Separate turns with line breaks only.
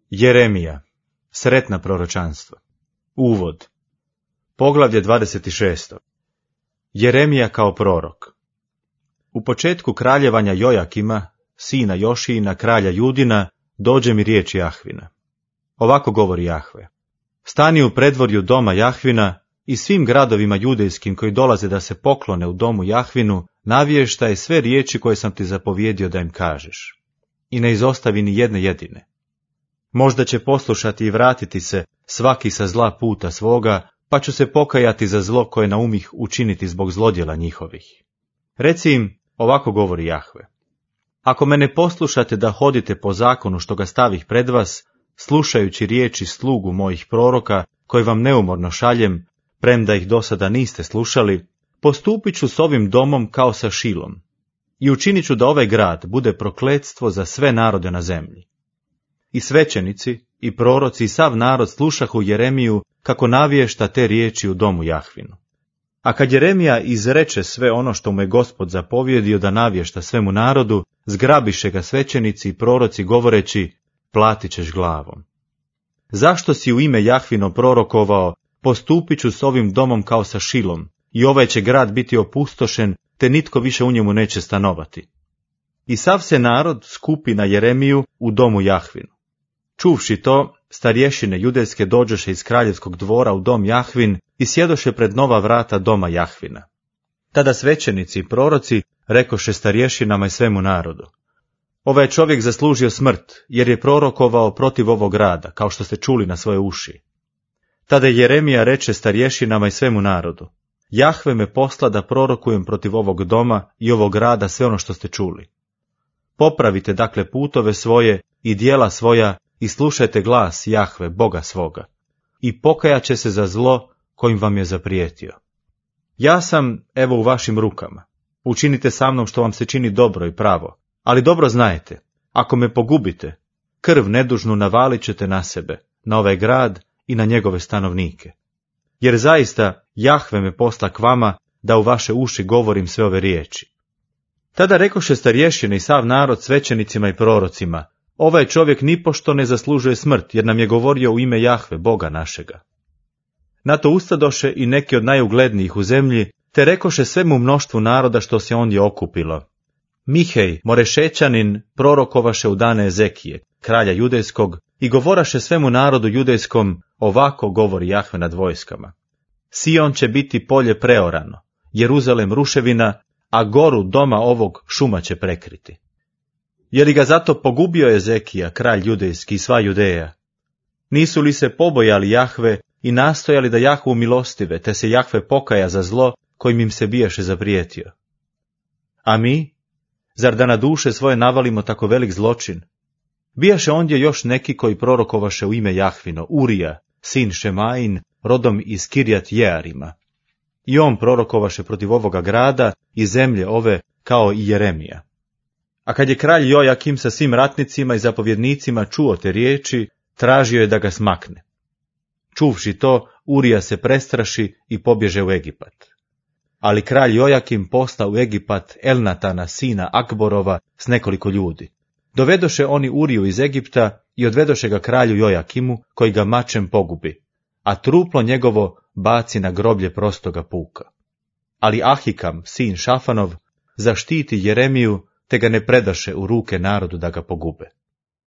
Jeremija, sretna proročanstva. Uvod. Poglavlje 26. Jeremija kao prorok. U početku kraljevanja Jojakima, sina Jošijina, kralja Judina, dođe mi riječ Jahvina. Ovako govori Jahve. Stani u predvorju doma Jahvina i svim gradovima judejskim koji dolaze da se poklone u domu Jahvinu, navještaj sve riječi koje sam ti zapovjedio da im kažeš. I ne izostavi ni jedne jedine. Možda će poslušati i vratiti se svaki sa zla puta svoga, pa ću se pokajati za zlo koje naumih učiniti zbog zlodjela njihovih. Reci im, ovako govori Jahve. Ako me ne poslušate da hodite po zakonu što ga stavih pred vas, slušajući riječi slugu mojih proroka, koje vam neumorno šaljem, premda ih do sada niste slušali, postupit ću s ovim domom kao sa Šilom i učinit ću da ovaj grad bude prokletstvo za sve narode na zemlji. I svećenici, i proroci, i sav narod slušahu Jeremiju kako navješta te riječi u domu Jahvinu. A kad Jeremija izreče sve ono što mu je Gospod zapovjedio da navješta svemu narodu, zgrabiše ga svećenici i proroci govoreći, platit ćeš glavom. Zašto si u ime Jahvino prorokovao, postupit ću s ovim domom kao sa Šilom, i ovaj će grad biti opustošen, te nitko više u njemu neće stanovati. I sav se narod skupi na Jeremiju u domu Jahvinu. Čuvši to, starješine judejske dođoše iz kraljevskog dvora u dom Jahvin i sjedoše pred nova vrata doma Jahvina. Tada svećenici i proroci rekoše starješinama i svemu narodu. Ovaj čovjek zaslužio smrt, jer je prorokovao protiv ovog grada, kao što ste čuli na svoje uši. Tada Jeremija reče starješinama i svemu narodu. Jahve me posla da prorokujem protiv ovog doma i ovog grada sve ono što ste čuli. Popravite dakle putove svoje i djela svoja i slušajte glas Jahve, Boga svoga, i pokajat će se za zlo kojim vam je zaprijetio. Ja sam, evo, u vašim rukama. Učinite sa mnom što vam se čini dobro i pravo, ali dobro znajte, ako me pogubite, krv nedužnu navalit ćete na sebe, na ovaj grad i na njegove stanovnike. Jer zaista Jahve me posla k vama da u vaše uši govorim sve ove riječi. Tada rekoše starješine i sav narod svećenicima i prorocima, ovaj čovjek nipošto ne zaslužuje smrt, jer nam je govorio u ime Jahve, Boga našega. Na to ustadoše i neki od najuglednijih u zemlji, te rekoše svemu mnoštvu naroda što se ondje okupilo. Mihej, Morešećanin, prorokovaše u dane Ezekije, kralja judejskog, i govoraše svemu narodu judejskom, ovako govori Jahve nad vojskama. Sion će biti polje preorano, Jeruzalem ruševina, a goru doma ovog šuma će prekriti. Je li ga zato pogubio Ezekija, kralj judejski i sva Judeja? Nisu li se pobojali Jahve i nastojali da Jahvu milostive, te se Jahve pokaja za zlo kojim im se bijaše zaprijetio? A mi? Zar da na duše svoje navalimo tako velik zločin? Bijaše ondje još neki koji prorokovaše u ime Jahvino, Urija, sin Šemain, rodom iz Kirjat Jearima. I on prorokovaše protiv ovoga grada i zemlje ove kao i Jeremija. A kad je kralj Jojakim sa svim ratnicima i zapovjednicima čuo te riječi, tražio je da ga smakne. Čuvši to, Urija se prestraši i pobježe u Egipat. Ali kralj Jojakim posla u Egipat Elnatana, sina Akborova, s nekoliko ljudi. Dovedoše oni Uriju iz Egipta i odvedoše ga kralju Jojakimu, koji ga mačem pogubi, a truplo njegovo baci na groblje prostoga puka. Ali Ahikam, sin Šafanov, zaštiti Jeremiju, te ga ne predaše u ruke narodu da ga pogube.